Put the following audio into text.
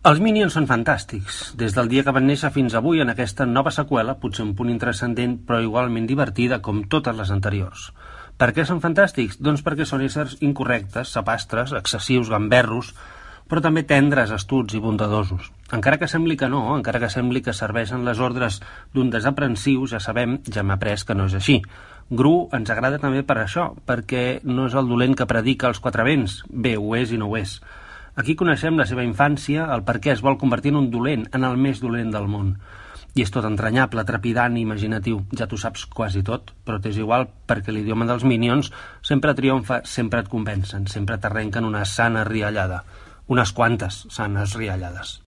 Els Minions són fantàstics. Des del dia que van néixer fins avui en aquesta nova seqüela, potser un punt intranscendent però igualment divertida com totes les anteriors. Per què són fantàstics? Doncs perquè són éssers incorrectes, sapastres, excessius, gamberros, però també tendres, astuts i bondadosos. Encara que sembli que no, encara que sembli que serveixen les ordres d'un desaprensiu, ja sabem, ja hem après que no és així. Gru ens agrada també per això, perquè no és el dolent que predica els quatre vents. Bé, ho és i no ho és. Aquí coneixem la seva infància, el per què es vol convertir en un dolent, en el més dolent del món. I és tot entranyable, trepidant i imaginatiu. Ja t'ho saps quasi tot, però t'és igual perquè l'idioma dels Minions sempre triomfa, sempre et convencen, sempre t'arrenquen una sana riallada. Unes quantes sanes riallades.